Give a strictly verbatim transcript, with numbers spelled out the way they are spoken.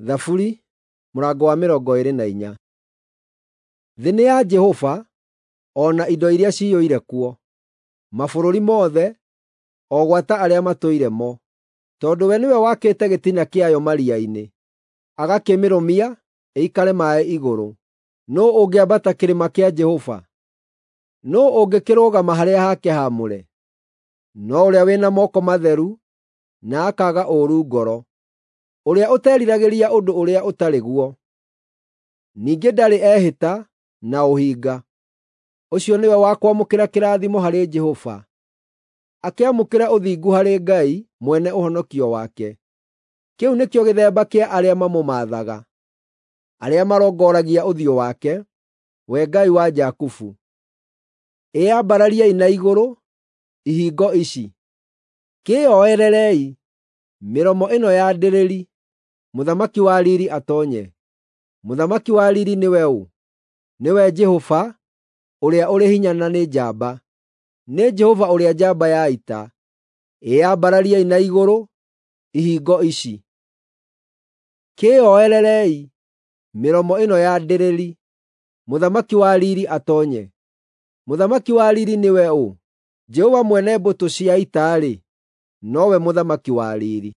Thaburi mũrango wa mĩrongo ĩĩrĩ na inya. Thĩ nĩ ya Jehova o na indo iria ciyũire kuo, mabũrũri mothe, o gwata arĩa matũire mo. Tondũ we nĩwe wakĩte gĩtina kĩayo maria-inĩ, agakĩmĩrũmia ĩikare maaĩ igũrũ. Nũũ ũngĩambata kĩrĩma kĩa Jehova? Nũũ ũngĩkĩrũgama harĩa hake haamũre? No ũrĩa wĩ na moko matheru na akaaga ũũru ngoro, ũrĩa ũteriragĩria ũndũ ũrĩa ũtarĩ guo, ningĩ ndarĩ ehĩta na ũhinga. Ũcio nĩwe wa kwamũkĩra kĩrathimo harĩ Jehova, akĩamũkĩre ũthingu harĩ Ngai mwene ũhonokio wake. Kĩu nĩkĩo gĩthemba kĩa arĩa mamũmaathaga, arĩa marongoragia ũthiũ wake, we Ngai wa Jakubu. Ĩyambarariei na igũrũ, ihingo ici! Kĩĩoererei, mĩromo ĩno ya ndĩrĩri, Mũthamaki wa riiri atoonye. Mũthamaki wa riiri nĩwe ũ? Nĩwe Jehova, ũrĩa ũrĩ hinya na nĩ njamba. Nĩ Jehova ũrĩa njamba ya ita. Ĩyambarariei na igũrũ, ihingo ici! Kĩĩoererei, mĩromo ĩno ya ndĩrĩri, Mũthamaki wa riiri atoonye. Mũthamaki wa riiri nĩwe ũ? Jehova mwene mbũtũ cia ita-rĩ, nowe Mũthamaki wa riiri.